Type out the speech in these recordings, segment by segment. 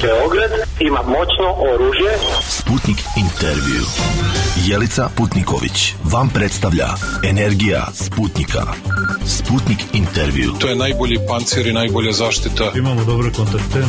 Beograd ima moćno oružje. Sputnik intervju. Jelica Putniković vam predstavlja Energija Sputnika. Sputnik intervju. To je najbolji pancir i najbolja zaštita. Imamo dobre kontakte.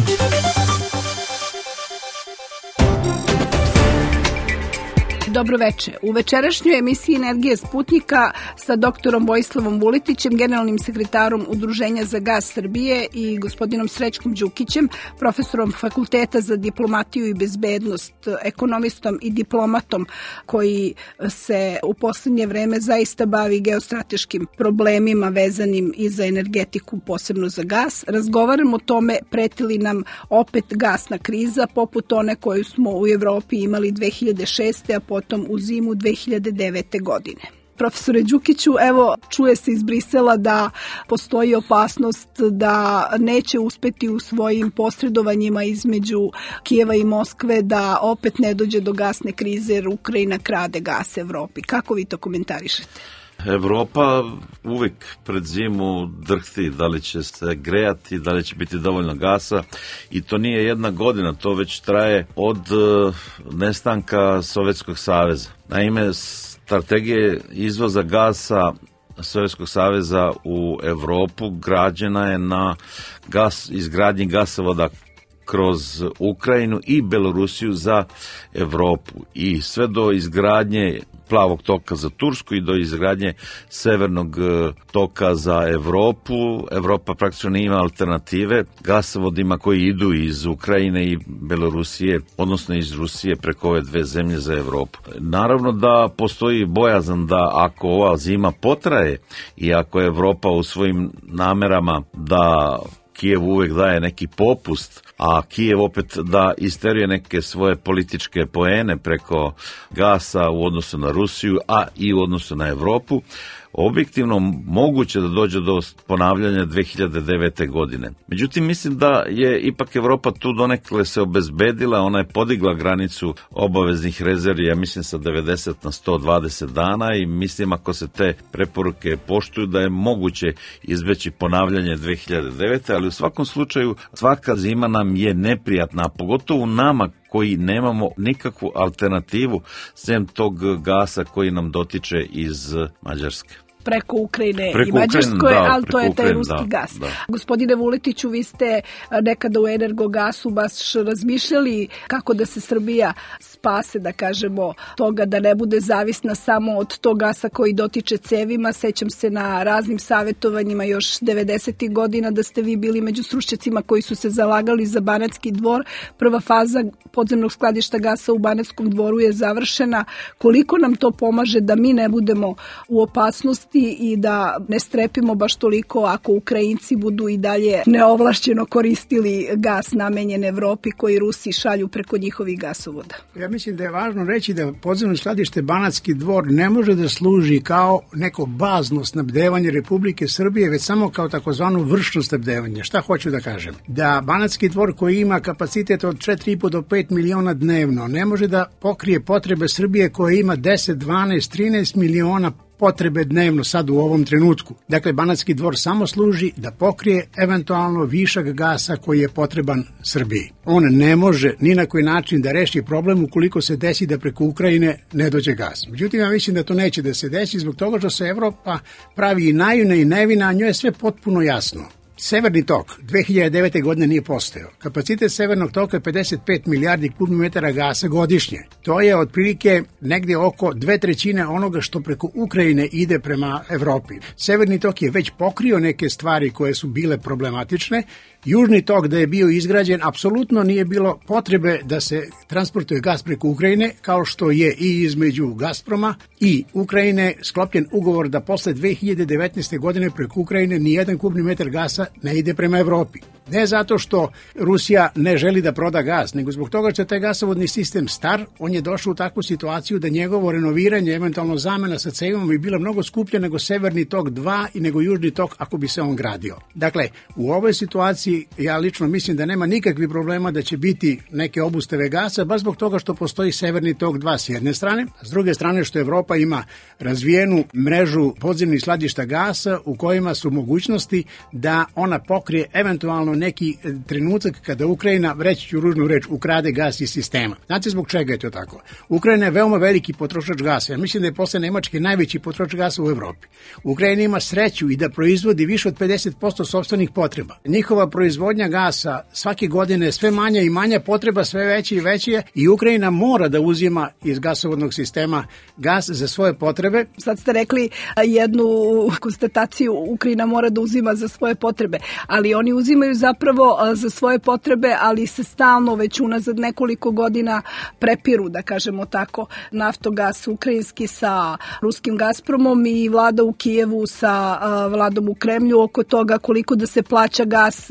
Dobro veče. U večerašnjoj emisiji Energije Sputnika sa doktorom Vojislavom Vuletićem, generalnim sekretarom Udruženja za gas Srbije i gospodinom Srećkom Đukićem, profesorom Fakulteta za diplomatiju i bezbednost, ekonomistom i diplomatom koji se u poslednje vreme zaista bavi geostrateškim problemima vezanim i za energetiku, posebno za gas. Razgovaramo o tome preti li nam opet gasna kriza poput one koju smo u Evropi imali 2006. a potom u zimu 2009. godine. Profesore Đukiću, evo čuje se iz Brisela da postoji opasnost da neće uspeti u svojim posredovanjima između Kijeva i Moskve da opet ne dođe do gasne krize jer Ukrajina krade gas Evropi. Kako vi to komentarišete? Evropa uvijek pred zimu drhti da li će se grejati, da li će biti dovoljno gasa i to nije jedna godina, to već traje od nestanka Sovjetskog saveza. Naime, strategija izvoza gasa Sovjetskog saveza u Evropu građena je na izgradnji gasovoda kroz Ukrajinu i Belorusiju za Evropu i sve do izgradnje plavog toka za Tursku i do izgradnje severnog toka za Evropu. Evropa praktično nije ima alternative gasovodima koji idu iz Ukrajine i Belorusije, odnosno iz Rusije preko ove dve zemlje za Evropu. Naravno da postoji bojazan da ako ova zima potraje i ako Evropa u svojim namerama da Kijev uvek daje neki popust, a Kijev opet da isteruje neke svoje političke poene preko gasa u odnosu na Rusiju, a i u odnosu na Evropu, objektivno moguće da dođe do ponavljanja 2009. godine. Međutim, mislim da je ipak Evropa tu donekle se obezbedila, ona je podigla granicu obaveznih rezervi, ja mislim sa 90 na 120 dana i mislim ako se te preporuke poštuju da je moguće izbeći ponavljanje 2009. ali u svakom slučaju svaka zima nam je neprijatna, a pogotovo nama koji nemamo nikakvu alternativu sem tog gasa koji nam dotiče iz Mađarske. Preko Ukrajine i Mađarskoj, ali to je taj ruski gas. Da. Gospodine Vuletiću, vi ste nekada u Energogasu baš razmišljali kako da se Srbija spase, da kažemo, toga da ne bude zavisna samo od tog gasa koji dotiče cevima. Sećam se na raznim savjetovanjima još 90. godina da ste vi bili među stručnjacima koji su se zalagali za Banatski dvor. Prva faza podzemnog skladišta gasa u Banatskom dvoru je završena. Koliko nam to pomaže da mi ne budemo u opasnosti i da ne strepimo baš toliko ako Ukrajinci budu i dalje neovlašćeno koristili gas namenjen Evropi koji Rusi šalju preko njihovih gasovoda? Ja mislim da je važno reći da podzemno skladište Banatski dvor ne može da služi kao neko bazno snabdevanje Republike Srbije, već samo kao takozvano vršno snabdevanje. Šta hoću da kažem? Da Banatski dvor koji ima kapacitet od 4,5 do 5 miliona dnevno ne može da pokrije potrebe Srbije koje ima 10, 12, 13 miliona potrebe dnevno sad u ovom trenutku. Dakle, Banatski dvor samo služi da pokrije eventualno višak gasa koji je potreban Srbiji. On ne može ni na koji način da reši problem ukoliko se desi da preko Ukrajine ne dođe gas. Međutim, ja mislim da to neće da se desi zbog toga što se Evropa pravi i naivna i nevina, a njoj je sve potpuno jasno. Severni tok 2009. godine nije postojao. Kapacitet severnog toka je 55 milijardi kubnih metara gasa godišnje. To je otprilike negdje oko 2/3 onoga što preko Ukrajine ide prema Evropi. Severni tok je već pokrio neke stvari koje su bile problematične. Južni tok da je bio izgrađen, apsolutno nije bilo potrebe da se transportuje gas preko Ukrajine, kao što je i između Gazproma i Ukrajine sklopljen ugovor da posle 2019. godine preko Ukrajine nijedan kubni metar gasa ne ide prema Evropi. Ne zato što Rusija ne želi da proda gas, nego zbog toga što je taj gasovodni sistem star, on je došao u takvu situaciju da njegovo renoviranje, eventualno zamena sa cevima bi bila mnogo skuplja nego Severni tok 2 i nego Južni tok ako bi se on gradio. Dakle, u ovoj situaciji situaciji ja lično mislim da nema nikakvih problema da će biti neke obustave gasa, baš zbog toga što postoji Severni tok 2 s jedne strane, a s druge strane što Evropa ima razvijenu mrežu podzemnih skladišta gasa u kojima su mogućnosti da ona pokrije eventualno neki trenutak kada Ukrajina, reći ću ružnu reč, ukrade gas iz sistema. Znate zbog čega je to tako? Ukrajina je veoma veliki potrošač gasa. Ja mislim da je posle Nemačke najveći potrošač gasa u Evropi. Ukrajina ima sreću i da proizvodi više od 50% sopstvenih potreba. Njihova proizvodnja gasa svake godine sve manja i manja, potreba sve veća i veća i Ukrajina mora da uzima iz gasovodnog sistema gas za svoje potrebe. Sad ste rekli jednu konstataciju, Ukrajina mora da uzima za svoje potrebe, ali oni uzimaju zapravo za svoje potrebe, ali se stalno već unazad nekoliko godina prepiru, da kažemo tako, Naftogas ukrajinski sa ruskim Gazpromom i vlada u Kijevu sa vladom u Kremlju oko toga koliko da se plaća gas,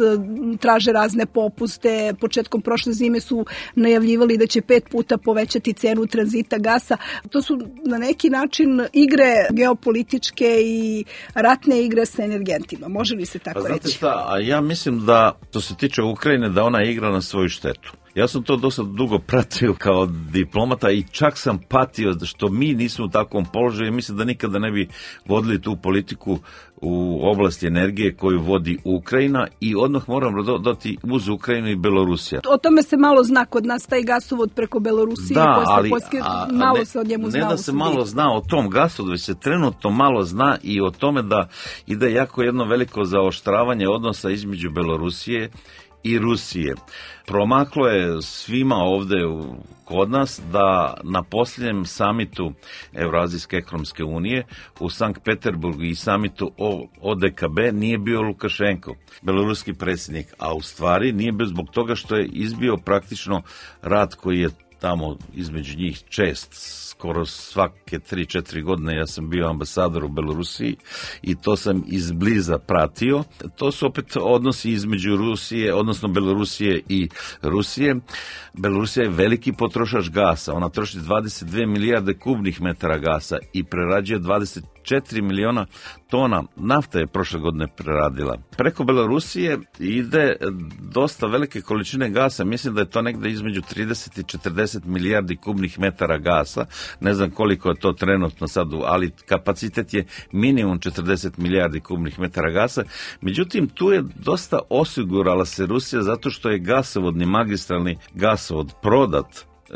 traže razne popuste. Početkom prošle zime su najavljivali da će 5 puta povećati cenu tranzita gasa. To su na neki način igre geopolitičke i ratne igre sa energentima. Može li se tako reći? Znate šta, a ja mislim da, što se tiče Ukrajine, da ona igra na svoju štetu. Ja sam to dosta dugo pratio kao diplomata i čak sam patio što mi nismo u takvom položaju i mislim da nikada ne bi vodili tu politiku u oblasti energije koju vodi Ukrajina i odmah moramo dodati uz Ukrajinu i Belorusija. O tome se malo zna kod nas, taj gasovod preko Belorusije. Da, ali malo se od njemu zna. Ne da se malo zna o tom gasovodu, već se trenutno malo zna i o tome da ide jako jedno veliko zaoštravanje odnosa između Belorusije i Rusije. Promaklo je svima ovde kod nas da na posljednjem samitu Evrazijske ekonomske unije u Sankt Peterburgu i samitu ODKB nije bio Lukašenko, beloruski predsjednik, a u stvari nije bio zbog toga što je izbio praktično rat koji je tamo između njih čest, skoro svake 3-4 godine ja sam bio ambasador u Belorusiji i to sam izbliza pratio. To su opet odnosi između Rusije, odnosno Belorusije i Rusije. Belorusija je veliki potrošač gasa, ona troši 22 milijarde kubnih metara gasa i prerađuje 24 miliona tona nafte je prošle godine preradila. Preko Belorusije ide dosta velike količine gasa, mislim da je to negde između 30 i 40 milijardi kubnih metara gasa, ne znam koliko je to trenutno sad, ali kapacitet je minimum 40 milijardi kubnih metara gasa. Međutim, tu je dosta osigurala se Rusija zato što je gasovodni magistralni gasovod prodat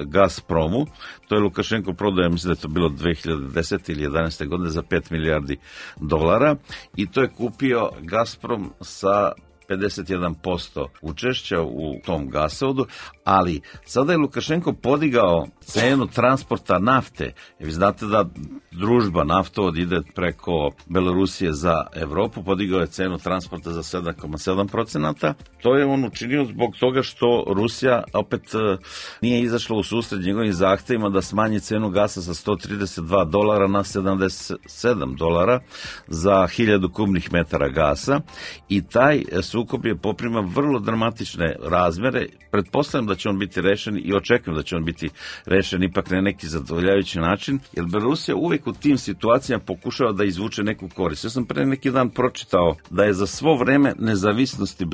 Gazpromu, to je Lukašenko prodao, ja mislim da je to bilo 2010. ili 11. godine za 5 milijardi dolara i to je kupio Gazprom sa 51% učešća u tom gasovodu, ali sada je Lukašenko podigao cenu transporta nafte. Vi znate da družba naftovod ide preko Belorusije za Evropu, podigao je cenu transporta za 7,7%. To je on učinio zbog toga što Rusija opet nije izašla u susret njegovim zahtevima da smanji cenu gasa sa $132 na $77 za 1000 kubnih metara gasa i taj sukob je poprima vrlo dramatične razmere. Pretpostavljam da će on biti rešen i očekujem da će on biti rešen ipak na neki zadovoljavajući način, jer Belorusija uvijek u tim situacijama pokušava da izvuče neku korist. Ja sam pre neki dan pročitao da je za svo vreme nezavisnosti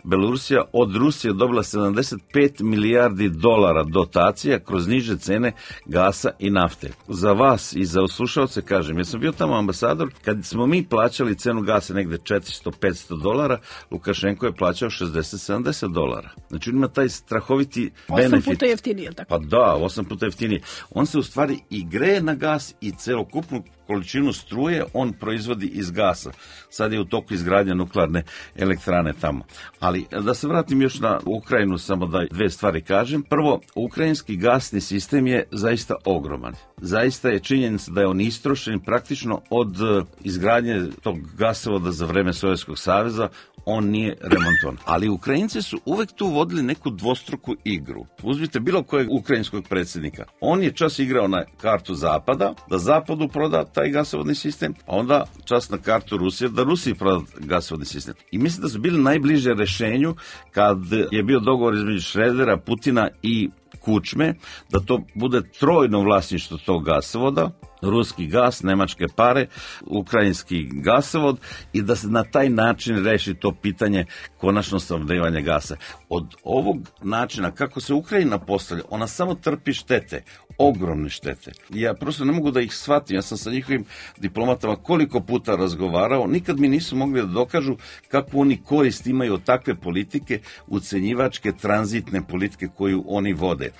Belorusija od Rusije dobila 75 milijardi dolara dotacija kroz niže cene gasa i nafte. Za vas i za slušalce kažem, jer sam bio tamo ambasador, kad smo mi plaćali cenu gasa negde $400-500, Lukašenko je plaćao $60-70. Znači on ima taj strahoviti benefit. 8 puta jeftinije, je li tako? Pa da, 8 puta jeftinije. On se u stvari i greje na gas i celokupnu količinu struje on proizvodi iz gasa. Sad je u toku izgradnja nuklearne elektrane tamo. Ali da se vratim još na Ukrajinu, samo da 2 stvari kažem. Prvo, ukrajinski gasni sistem je zaista ogroman. Zaista je činjenica da je on istrošen praktično od izgradnje tog gasovoda za vreme Sovjetskog saveza, on nije remontovan. Ali Ukrajinci su uvek tu vodili neku dvostruku igru. Uzmite bilo kojeg ukrajinskog predsjednika. On je čas igrao na kartu Zapada, da Zapadu proda taj gasovodni sistem, a onda čas na kartu Rusije, da Rusiji proda gasovodni sistem. I mislim da su bili najbliže rešenju kad je bio dogovor između Šredera, Putina i Kučme, da to bude trojno vlasništvo tog gasovoda, ruski gas, nemačke pare, ukrajinski gasovod i da se na taj način reši to pitanje konačno snabdevanja gasa. Od ovog načina kako se Ukrajina postavlja, ona samo trpi štete, ogromne štete. Ja prosto ne mogu da ih shvatim, ja sam sa njihovim diplomatama koliko puta razgovarao, nikad mi nisu mogli da dokažu kako oni korist imaju od takve politike, ucenjivačke, tranzitne politike koju oni vode.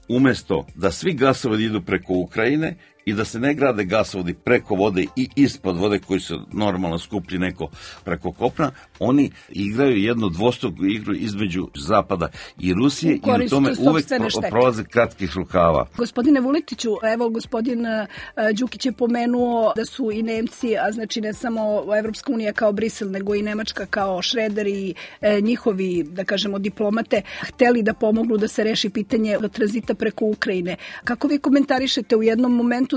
Umesto da svi gasovodi idu preko Ukrajine i da se ne grade gasovodi preko vode i ispod vode koji su normalno skuplji neko preko kopna, oni igraju jednu dvostruku igru između Zapada i Rusije i u tome uvek prolaze kratkih rukava. Gospodine Vuletiću, evo gospodin Đukić je pomenuo da su i Nemci, a znači ne samo Evropska unija kao Brisel, nego i Nemačka kao Šreder i njihovi, da kažemo, diplomate, hteli da pomognu da se reši pitanje tranzita preko Ukrajine. Kako vi komentarišete, u jednom momentu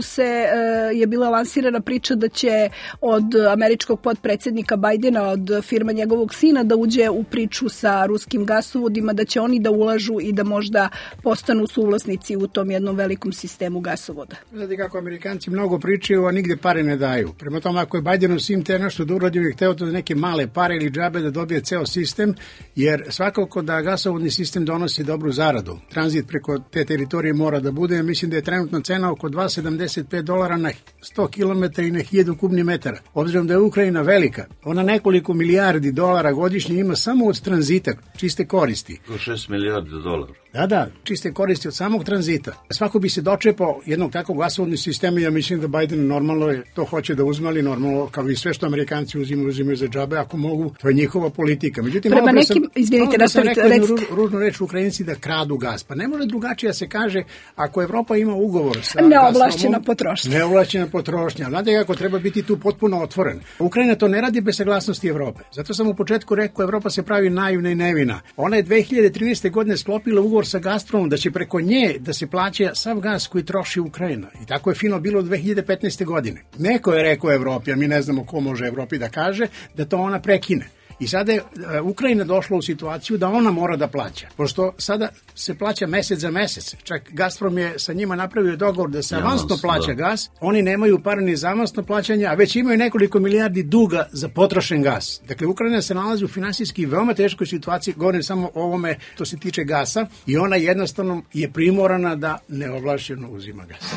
je bila lansirana priča da će od američkog potpredsjednika Bajdena, od firma njegovog sina da uđe u priču sa ruskim gasovodima, da će oni da ulažu i da možda postanu suvlasnici u tom jednom velikom sistemu gasovoda. Znate kako Amerikanci mnogo pričaju, a nigde pare ne daju. Prema tome, ako je Bajdenov sin te nešto da uradio i hteo to da neke male pare ili džabe da dobije ceo sistem, jer svakako da gasovodni sistem donosi dobru zaradu. Tranzit preko te teritorije mora da bude, mislim da je trenutna cena oko $2,75 na 100 km i na 1000 kubnih metara. Obzirom da je Ukrajina velika, ona nekoliko milijardi dolara godišnje ima samo od tranzita, čiste koristi. 6 milijardi dolara. Da, čiste koristi od samog tranzita. Svako bi se dočepao jednog takvog gasovodnog sistema i ja mislim da Biden normalno to hoće da uzme, ali normalno kao i sve što Amerikanci uzimaju za džabe, ako mogu, to je njihova politika. Međutim, prema nekim, izvinite, sam rekao jednu ružnu reč Ukrajinci da kradu gas. Pa ne može drugačije se kaže ako Evropa ima ugovor sa neovlašćena potrošnja. Neovlašćena potrošnja. Znate kako treba biti tu potpuno otvoren. Ukrajina to ne radi bez saglasnosti Evrope. Zato sam u početku rekao Evropa se pravi naivna i nevina. Ona je 2013. godine sklopila ugovor sa Gazpromom da će preko nje da se plaća sav gas koji troši Ukrajina. I tako je fino bilo 2015. godine. Neko je rekao Evropi, a mi ne znamo ko može Evropi da kaže, da to ona prekine. I sada je Ukrajina došla u situaciju da ona mora da plaća. Pošto sada se plaća mesec za mesec. Čak Gazprom je sa njima napravio dogovor da se avansno plaća gas. Oni nemaju para ni za avansno plaćanje, a već imaju nekoliko milijardi duga za potrošen gas. Dakle, Ukrajina se nalazi u finansijski veoma teškoj situaciji, govorim samo o ovome što se tiče gasa, i ona jednostavno je primorana da neovlašćeno uzima gas.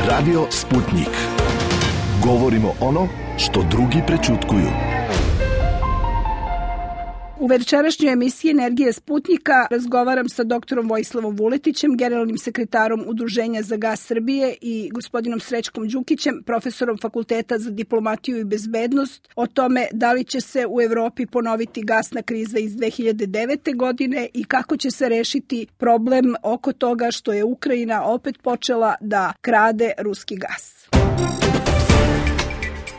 Radio Sputnik. Govorimo ono što drugi prećutkuju. U večerašnjoj emisiji Energije Sputnika razgovaram sa doktorom Vojislavom Vuletićem, generalnim sekretarom Udruženja za gas Srbije, i gospodinom Srećkom Đukićem, profesorom Fakulteta za diplomatiju i bezbednost, o tome da li će se u Evropi ponoviti gasna kriza iz 2009. godine i kako će se rešiti problem oko toga što je Ukrajina opet počela da krade ruski gas.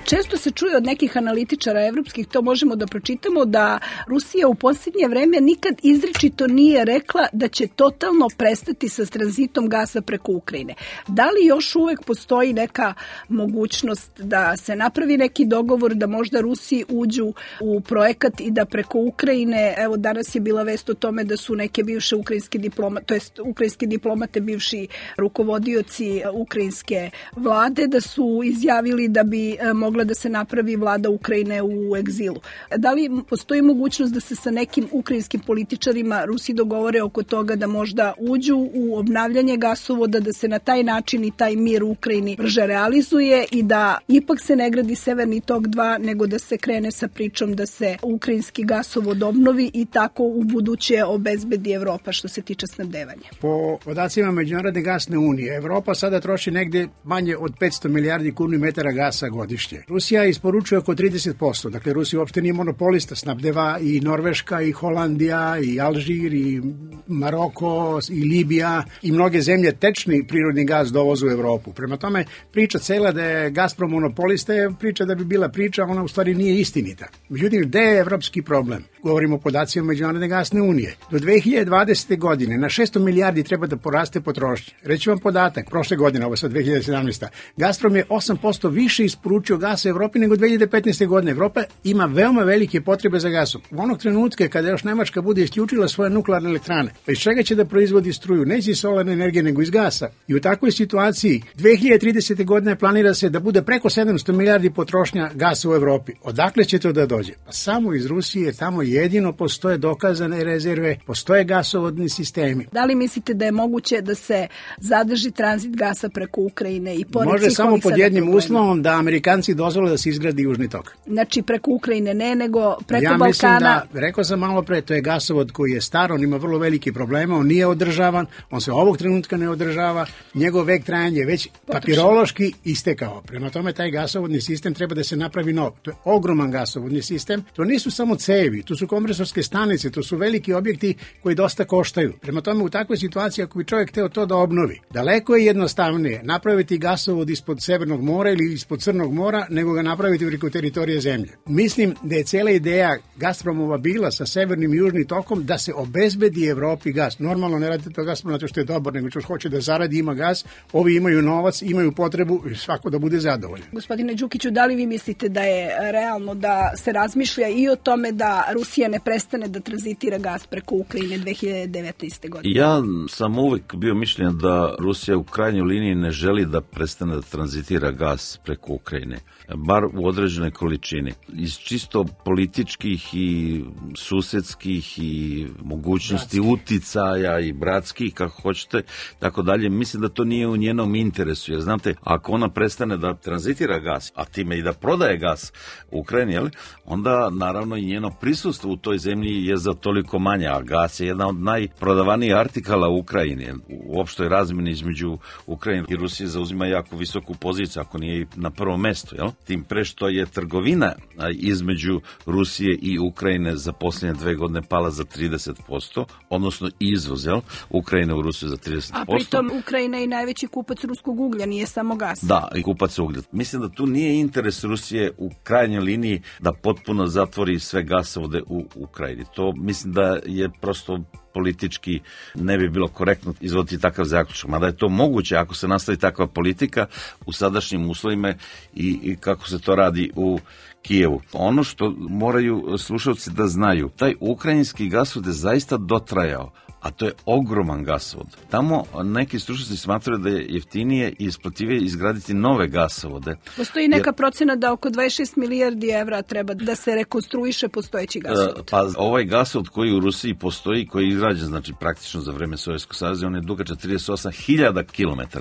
Često se čuje od nekih analitičara evropskih, to možemo da pročitamo, da Rusija u posljednje vreme nikad izričito nije rekla da će totalno prestati sa tranzitom gasa preko Ukrajine. Da li još uvek postoji neka mogućnost da se napravi neki dogovor, da možda Rusiji uđu u projekat i da preko Ukrajine, evo danas je bila vest o tome da su neke bivše ukrajinske diplomate, to jest ukrajinske diplomate, bivši rukovodioci ukrajinske vlade, da su izjavili da bi mogla da se napravi vlada Ukrajine u egzilu. Da li postoji mogućnost da se sa nekim ukrajinskim političarima Rusi dogovore oko toga da možda uđu u obnavljanje gasovoda, da se na taj način i taj mir u Ukrajini brže realizuje i da ipak se ne gradi Severni tok 2, nego da se krene sa pričom da se ukrajinski gasovod obnovi i tako u buduće obezbedi Evropa što se tiče snabdevanja? Po podacima Međunarodne gasne unije, Evropa sada troši negde manje od 500 milijardi kubnih metara gasa godišnje. Rusija isporučuje oko 30%, dakle Rusija uopšte nije monopolista, snabdeva i Norveška, i Holandija, i Alžir, i Maroko, i Libija, i mnoge zemlje tečni prirodni gas dovozu u Evropu. Prema tome, priča cela da je Gazprom monopolista je priča da bi bila priča, ona u stvari nije istinita. Međutim, gde je evropski problem? Govorimo o podacima Međunarodne gasne unije. Do 2020. godine na 600 milijardi treba da poraste potrošnja. Reći vam podatak, prošle godine, ovo sad 2017. Gazprom je 8% više isporučio gas gasa u Evropi nego 2015. godine. Evropa ima veoma velike potrebe za gasom. U onog trenutka kada još Nemačka bude isključila svoje nuklearne elektrane, pa iz čega će da proizvodi struju? Neće iz solarne energije nego iz gasa. I u takvoj situaciji 2030. godine planira se da bude preko 700 milijardi potrošnja gasa u Evropi. Odakle će to da dođe? Pa samo iz Rusije, tamo jedino postoje dokazane rezerve, postoje gasovodni sistemi. Da li mislite da je moguće da se zadrži tranzit gasa preko Ukrajine i pored može samo pod jednim uslovom da Amerikanci dozvole da se izgradi Južni tok. Znači preko Ukrajine ne, nego preko Balkana. Ja mislim da, rekao sam malo pre, to je gasovod koji je star, on ima vrlo veliki problema, on nije održavan, on se ovog trenutka ne održava, njegov vek trajanja je već papirološki istekao. Prema tome taj gasovodni sistem treba da se napravi nov. To je ogroman gasovodni sistem, to nisu samo cevi, to su kompresorske stanice, to su veliki objekti koji dosta koštaju. Prema tome u takvoj situaciji ako bi čovjek hteo to da obnovi, daleko je jednostavnije napraviti gasovod ispod Severnog mora ili ispod Crnog mora nego ga napraviti preko teritorije zemlje. Mislim da je cela ideja Gazpromova bila sa severnim i južnim tokom da se obezbedi Evropi gas. Normalno ne radi to Gazprom zato što je dobar, nego što hoće da zaradi, ima gas, ovi imaju novac, imaju potrebu i svako da bude zadovoljan. Gospodine Đukiću, da li vi mislite da je realno da se razmišlja i o tome da Rusija ne prestane da tranzitira gas preko Ukrajine 2019. godine? Ja sam uvek bio mišljenja da Rusija u krajnjoj liniji ne želi da prestane da tranzitira gas preko Ukrajine, bar u određenoj količini. Iz čisto političkih i susedskih i mogućnosti uticaja i bratskih, kako hoćete, tako dalje, mislim da to nije u njenom interesu. Jer znate, ako ona prestane da tranzitira gas, a time i da prodaje gas u Ukrajini, onda naravno i njeno prisustvo u toj zemlji je za toliko manje, a gas je jedna od najprodavanijih artikala u Ukrajini. U opštoj razmjeni između Ukrajine i Rusije zauzima jako visoku poziciju, ako nije i na prvom mestu. Tim pre što je trgovina između Rusije i Ukrajine za posljednje 2 godine pala za 30%, odnosno izvoz Ukrajine u Rusiju za 30%. A pritom Ukrajina je najveći kupac ruskog uglja, nije samo gas. Da, i kupac uglja. Mislim da tu nije interes Rusije u krajnjoj liniji da potpuno zatvori sve gasovode u Ukrajini. To mislim da je prosto politički ne bi bilo korektno izvoditi takav zaključak. Mada je to moguće ako se nastavi takva politika u sadašnjim uslovima i kako se to radi u Kijevu. Ono što moraju slušalci da znaju, taj ukrajinski gasovod je zaista dotrajao, a to je ogroman gasovod. Tamo neki stručnjaci smatraju da je jeftinije i isplativije izgraditi nove gasovode. Postoji neka procena da oko 26 milijardi evra treba da se rekonstruiše postojeći gasovod. Pa ovaj gasovod koji u Rusiji postoji, koji je izgrađen, znači praktično za vreme Sovjetskog saveza, on je dugačak 38.000 km.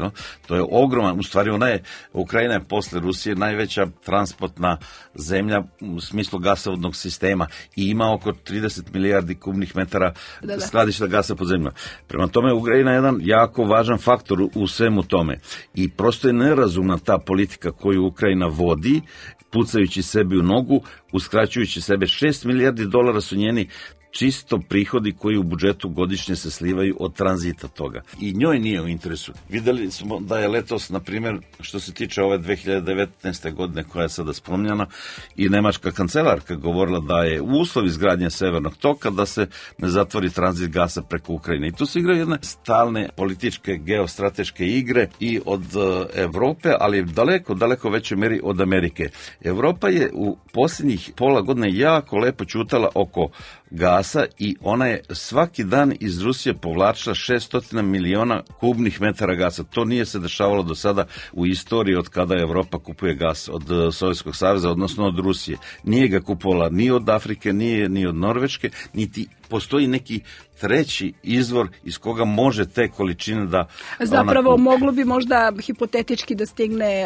To je ogroman, u stvari Ukrajina je posle Rusije najveća transportna zemlja u smislu gasovodnog sistema i ima oko 30 milijardi kubnih metara skladišta gasa pod zemljom. Prema tome, Ukrajina je jedan jako važan faktor u svemu tome. I prosto je nerazumna ta politika koju Ukrajina vodi, pucajući sebi u nogu, uskraćujući sebe. 6 milijardi dolara su njeni čisto prihodi koji u budžetu godišnje se slivaju od tranzita toga. I njoj nije u interesu. Videli smo da je letos, na primjer, što se tiče ove 2019. godine koja je sada spominjana, i nemačka kancelarka govorila da je uslov izgradnje Severnog toka da se ne zatvori tranzit gasa preko Ukrajine. I tu se igraju jedne stalne političke, geostrateške igre i od Evrope, ali daleko većoj meri od Amerike. Evropa je u posljednjih pola godine jako lepo ćutala oko gasa i ona je svaki dan iz Rusije povlačila 600 miliona kubnih metara gasa. To nije se dešavalo do sada u istoriji od kada Evropa kupuje gas od Sovjetskog saveza, odnosno od Rusije. Nije ga kupovala ni od Afrike, ni od Norveške, niti postoji neki treći izvor iz koga može te količine da... Zapravo moglo bi možda hipotetički da stigne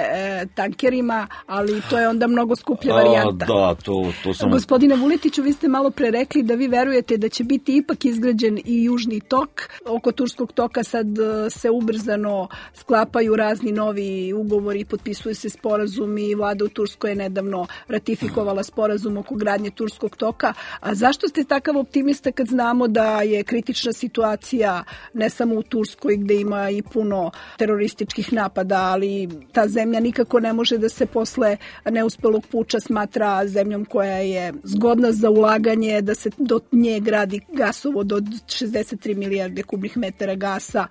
tankerima, ali to je onda mnogo skuplja varijanta. Da, to sam... Gospodine Vuletiću, vi ste malo pre rekli da vi verujete da će biti ipak izgrađen i Južni tok. Oko Turskog toka sad se ubrzano sklapaju razni novi ugovori, potpisuju se sporazumi, vlada u Turskoj je nedavno ratifikovala sporazum oko gradnje Turskog toka. A zašto ste takav optimista kad znamo da je kritična situacija ne samo u Turskoj gde ima i puno terorističkih napada, ali ta zemlja nikako ne može da se posle neuspelog puča smatra zemljom koja je zgodna za ulaganje, da se do nje gradi gasovod od 63 milijarde kubnih metara gasa.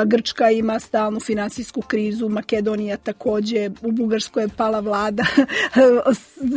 Grčka ima stalnu finansijsku krizu, Makedonija takođe, u Bugarskoj je pala vlada.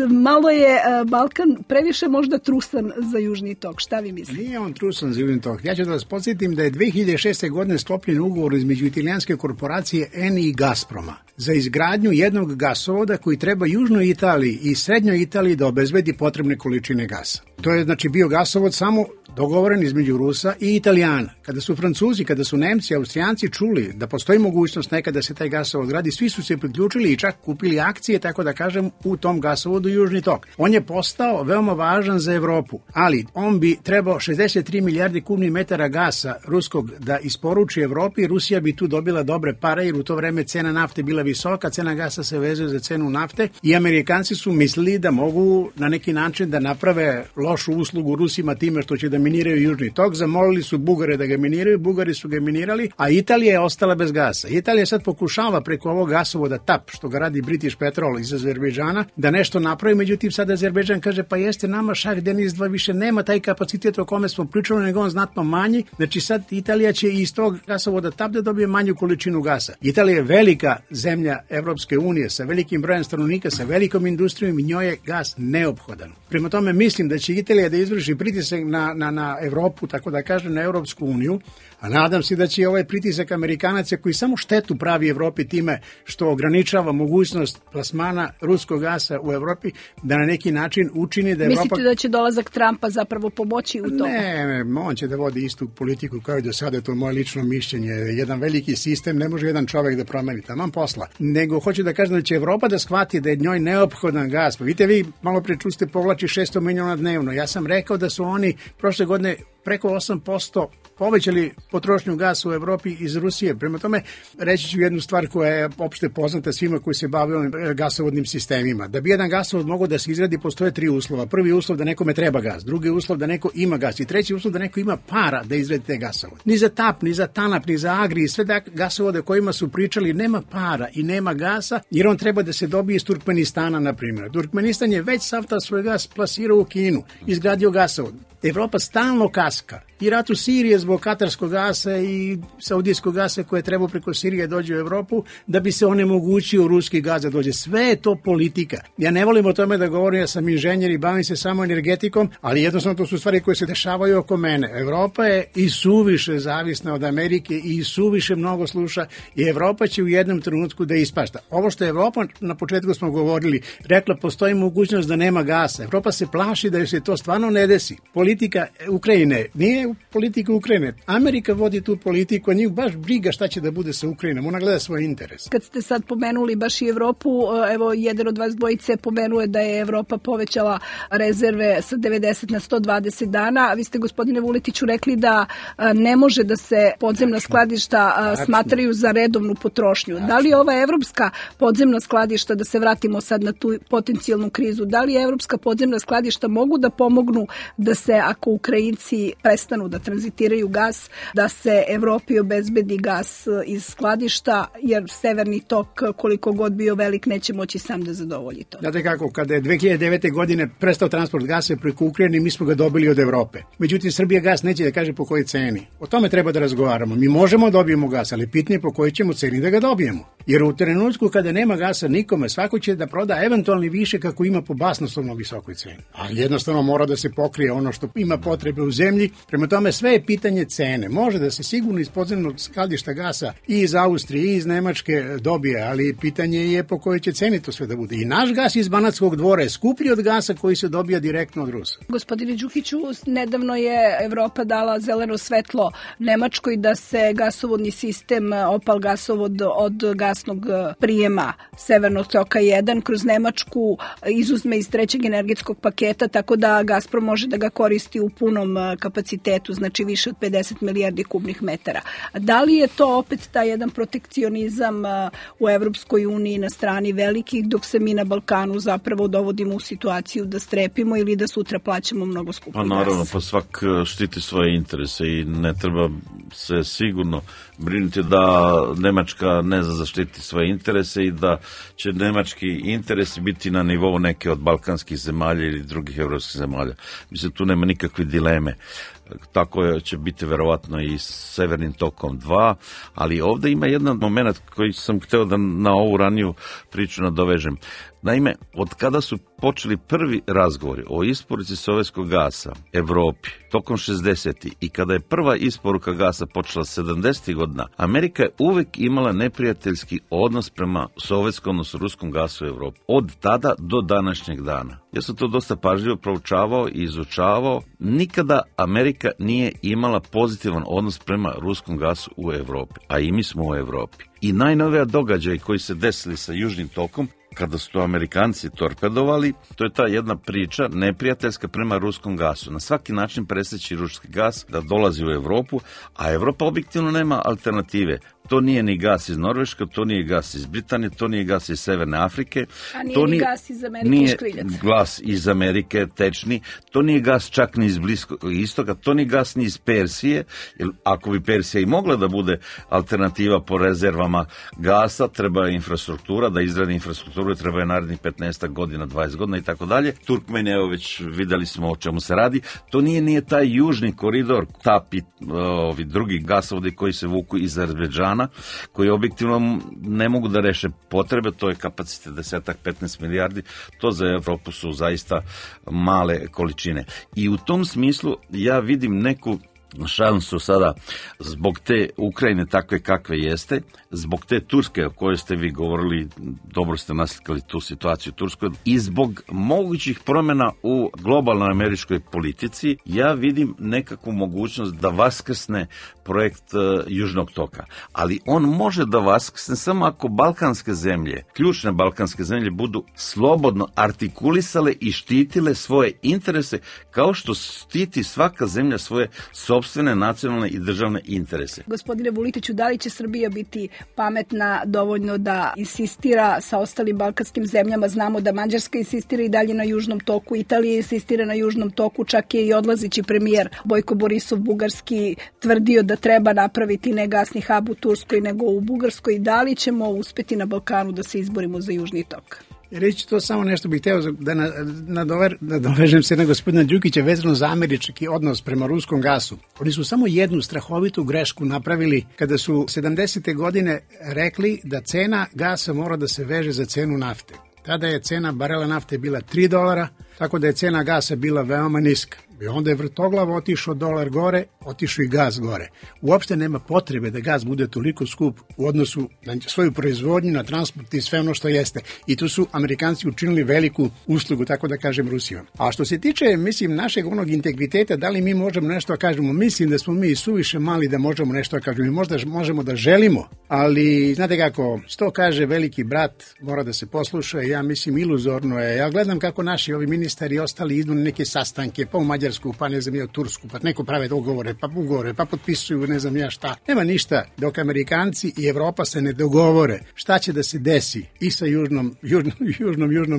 Malo je Balkan previše možda trusan za Južni tok. Šta vi mislite? Nije on trusan za Južni tok. Ja ću da vas podsjetim da je 2006. godine sklopljen ugovor između italijanske korporacije Eni i Gazproma za izgradnju jednog gasovoda koji treba Južnoj Italiji i Srednjoj Italiji da obezbedi potrebne količine gasa. To je znači bio gasovod samo dogovoren između Rusa i Italijana. Kada su Francuzi, kada su Nemci, Austrijanci čuli da postoji mogućnost nekada da se taj gasovod gradi, svi su se priključili i čak kupili akcije, tako da kažem, u tom gasovodu Južni tok. On je postao veoma važan za Evropu, ali on bi trebao 63 milijarde kubnih metara gasa ruskog da isporuči Evropi. Rusija bi tu dobila dobre pare jer u to vreme cena nafte bila visoka, cena gasa se vezuje za cenu nafte i Amerikanci su mislili da mogu na neki način da naprave lošu uslugu Rusima time što će da miniraju Južni tok. Zamolili su Bugare da ga miniraju, Bugari su ga minirali, a Italija je ostala bez gasa. Italija sad pokušava preko ovog gasovoda TAP, što ga radi British Petrol iz Azerbejdžana, da nešto napravi, međutim sad Azerbejdžan kaže pa jeste nama Šah Deniz 2 više nema taj kapacitet o kome smo pričali, nego on znatno manji, znači sad Italija će iz tog gasovoda TAP da dobije manju količinu gasa. Italija je velika zemlja Evropske unije sa velikim brojem stanovnika, sa velikom industrijom i njoj je gas neophodan. Prema tome mislim da će Italija da izvrši pritisak na Evropu, tako da kažem na Evropsku uniju, a nadam se da će ovaj pritisak Amerikanaca koji samo štetu pravi Evropi time što ograničava mogućnost plasmana ruskog gasa u Evropi, da na neki način učini da Evropa... Mislite da će dolazak Trumpa zapravo pomoći u tome? Ne, on će da vodi istu politiku kao i do sada, to je moje lično mišljenje. Jedan veliki sistem ne može jedan čovek da promeni, taman posla. Nego hoću da kažem da će Evropa da shvati da je njoj neophodan gas. Pa vidite vi, malo pre čuste povlači 600 miliona dnevno. Ja sam rekao da su oni prošle godine preko 8% povećali potrošnju gasa u Evropi iz Rusije. Prema tome, reći ću jednu stvar koja je opšte poznata svima koji se bave ovim gasovodnim sistemima. Da bi jedan gasovod mogao da se izgradi, postoje 3 uslova. Prvi uslov da nekome treba gas, drugi uslov da neko ima gas i treći uslov da neko ima para da izgradi te gasovod. Ni za TAP, ni za TANAP, ni za Agri i sve gasovode kojima su pričali nema para i nema gasa, jer on treba da se dobije iz Turkmenistana, na primjer. Turkmenistan je već sav ta svoj gas plasirao u Kinu, izgradio gasovod. Evropa stalno kaska. I rat u Siriji zbog katarskog gasa i saudijskog gasa koje treba preko Sirije dođe u Evropu da bi se onemogućio ruski gas da dođe. Sve je to politika. Ja ne volim o tome da govorim, ja sam inženjer i bavim se samo energetikom, ali jednostavno to su stvari koje se dešavaju oko mene. Evropa je i suviše zavisna od Amerike i suviše mnogo sluša i Evropa će u jednom trenutku da ispašta. Ovo što je Evropa, na početku smo govorili, rekla postoji mogućnost da nema gasa. Evropa se plaši da joj se to stvarno ne desi. Politika Ukrajine nije politika Ukrajine. Amerika vodi tu politiku, a njih baš briga šta će da bude sa Ukrajinom. Ona gleda svoj interes. Kad ste sad pomenuli baš i Evropu, evo jedan od vas dvojice pomenuje da je Evropa povećala rezerve sa 90 na 120 dana, a vi ste, gospodine Vuletiću, rekli da ne može da se podzemna skladišta smatraju za redovnu potrošnju. Da li ova evropska podzemna skladišta, da se vratimo sad na tu potencijalnu krizu, da li evropska podzemna skladišta mogu da pomognu da se, ako Ukrajinci prestanu da tranzitiraju gas, da se Evropi obezbedi gas iz skladišta, jer severni tok, koliko god bio velik, neće moći sam da zadovolji to. Znate kako, kada je 2009. godine prestao transport gasa preko Ukrajine, mi smo ga dobili od Evrope. Međutim, Srbija gas neće da kaže po kojoj ceni. O tome treba da razgovaramo. Mi možemo da dobijemo gas, ali pitanje po kojoj ćemo ceni da ga dobijemo. Jer u trenutku kada nema gasa nikome, svako će da proda eventualni više kako ima po basnoslovno visokoj ceni. A jednostavno mora da se pokrije ono što ima potrebe u zemlji. Prema tome sve je pitanje cene. Može da se sigurno iz podzemnog skladišta gasa i iz Austrije i iz Nemačke dobije, ali pitanje je po kojoj će ceni to sve da bude. I naš gas iz Banatskog dvora je skuplji od gasa koji se dobija direktno od Rusa. Gospodine Đukiću, nedavno je Evropa dala zeleno svetlo Nemačkoj da se gasovodni sistem Opal gasovod od gasnog prijema Severnog toka 1 kroz Nemačku izuzme iz trećeg energetskog paketa, tako da Gazprom može da ga koristi u punom kapacitetu, znači više od 50 milijardi kubnih metara. Da li je to opet taj jedan protekcionizam u Evropskoj uniji na strani velikih, dok se mi na Balkanu zapravo dovodimo u situaciju da strepimo ili da sutra plaćamo mnogo skuplji gas? Pa naravno, pa svak štiti svoje interese i ne treba se sigurno brinuti da Nemačka ne zaštiti svoje interese i da će nemački interesi biti na nivou neke od balkanskih zemalja ili drugih evropskih zemalja. Mislim, tu nema nikakve dileme. Tako će biti verovatno i Severnim tokom 2, ali ovdje ima jedan moment koji sam hteo da na ovu raniju priču nadovežem. Naime, od kada su počeli prvi razgovori o isporuci sovjetskog gasa Evropi tokom 60. i kada je prva isporuka gasa počela 70. godina, Amerika je uvek imala neprijateljski odnos prema sovjetskom, odnosno ruskom gasu u Evropi. Od tada do današnjeg dana. Ja sam to dosta pažljivo proučavao i izučavao. Nikada Amerika nije imala pozitivan odnos prema ruskom gasu u Evropi, a i mi smo u Evropi. I najnovija događaj koji se desili sa Južnim tokom, kada su to Amerikanci torpedovali, to je ta jedna priča neprijateljska prema ruskom gasu. Na svaki način presjeći ruski gas da dolazi u Evropu, a Evropa objektivno nema alternative. To nije ni gas iz Norveške, to nije gas iz Britanije, to nije gas iz Severne Afrike. A nije ni gas iz Amerike nije škriljac. Gas iz Amerike tečni, to nije gas čak ni iz Bliskog istoka, to nije gas ni iz Persije, jer ako bi Persija i mogla da bude alternativa po rezervama gasa, treba infrastruktura, da izradi infrastrukturu, treba je narednih 15 godina, 20 godina i tako dalje. Turkmeni, evo već videli smo o čemu se radi. To nije taj južni koridor, TAP, ovi drugi gasovodi koji se vuku iz Azerbejdžana, koji objektivno ne mogu da reše potrebe, to je kapacitet 10-15 milijardi, to za Evropu su zaista male količine. I u tom smislu ja vidim neku šansu sada zbog te Ukrajine takve kakve jeste, zbog te Turske o kojoj ste vi govorili, dobro ste naslikali tu situaciju u Turskoj, i zbog mogućih promjena u globalnoj američkoj politici, ja vidim nekakvu mogućnost da vaskrsne projekt Južnog toka. Ali on može da vaskrsne samo ako balkanske zemlje, ključne balkanske zemlje, budu slobodno artikulisale i štitile svoje interese kao što štiti svaka zemlja svoje sopstvene nacionalne i državne interese. Gospodine Vulitiću, da li će Srbija biti pametna dovoljno da insistira sa ostalim balkanskim zemljama? Znamo da Mađarska insistira i dalje na Južnom toku, Italija insistira na Južnom toku, čak je i odlazeći premijer Bojko Borisov bugarski tvrdio da treba napraviti ne gasni hub u Turskoj nego u Bugarskoj. Da li ćemo uspeti na Balkanu da se izborimo za Južni tok? Reći to samo nešto bih hteo da nadovežem se na gospodina Đukića vezano za američki odnos prema ruskom gasu. Oni su samo jednu strahovitu grešku napravili kada su 70. godine rekli da cena gasa mora da se veže za cenu nafte. Tada je cena barela nafte bila $3, tako da je cena gasa bila veoma niska. I onda je vrtoglavo otišao dolar gore, otišao i gas gore. Uopšte nema potrebe da gas bude toliko skup u odnosu na svoju proizvodnju, na transport i sve ono što jeste. I tu su Amerikanci učinili veliku uslugu, tako da kažem, Rusijom. A što se tiče, mislim, našeg onog integriteta, da li mi možemo nešto da kažemo? Mislim da smo mi suviše mali da možemo nešto da kažemo. Mi možda možemo da želimo, ali znate kako, što kaže veliki brat, mora da se posluša. Ja mislim, iluzorno je. Ja gledam kako naši ovi ministari i ostali idu na neke sastanke, pa u Mađarsku, pa ne znam ja u Tursku, pa neko prave dogovore, pa potpisuju ne znam ja šta. Nema ništa dok Amerikanci i Evropa se ne dogovore šta će da se desi i sa južnom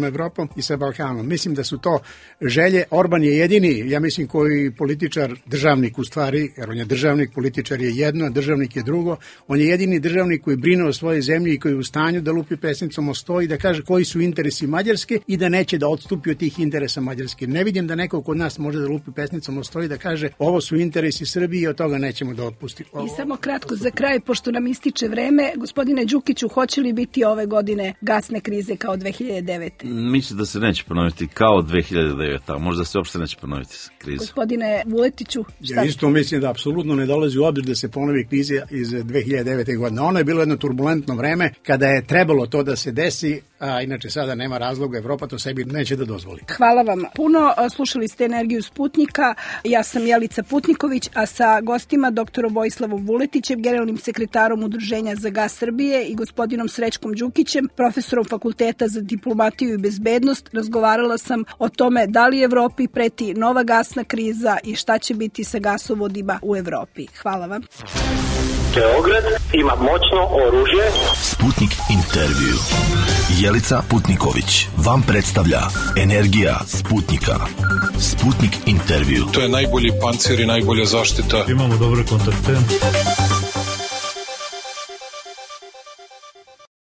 Evropom i sa Balkanom. Mislim da su to želje. Orban je jedini, ja mislim, koji političar, državnik u stvari, jer on je državnik, političar je jedno, a državnik je drugo. On je jedini državnik koji brine o svojoj zemlji i koji je u stanju da lupi pesnicom o sto i da kaže koji su interesi Mađarske i da neće da odstupi od tih interesa Mađarske. Ne vidim da neko kod nas može da lupi pesnicom o sto i da kaže ovo su interesi Srbije i od toga nećemo da otpustimo. I samo kratko za kraj, pošto nam ističe vreme, gospodine Đukiću, hoće li biti ove godine gasne krize kao 2009? Mislim da se neće ponoviti kao 2009, a možda se uopšte neće ponoviti kriza. Gospodine Vuletiću, šta? Ja isto mislim da apsolutno ne dolazi u obzir da se ponovi kriza iz 2009. godine. Ono je bilo jedno turbulentno vreme kada je trebalo to da se desi. a inače sada nema razloga, Evropa to sebi neće da dozvoli. Hvala vam puno. Slušali ste Energiju Sputnika. Ja sam Jelica Putniković, a sa gostima doktorom Vojislavom Vuletićem, generalnim sekretarom Udruženja za gas Srbije i gospodinom Srećkom Đukićem, profesorom Fakulteta za diplomatiju i bezbednost, razgovarala sam o tome da li Evropi preti nova gasna kriza i šta će biti sa gasovodima u Evropi. Hvala vam. Beograd ima moćno oružje. Sputnik intervju. Jelica Putniković vam predstavlja Energija Sputnika. Sputnik intervju. To je najbolji pancir i najbolja zaštita. Imamo dobre kontakte.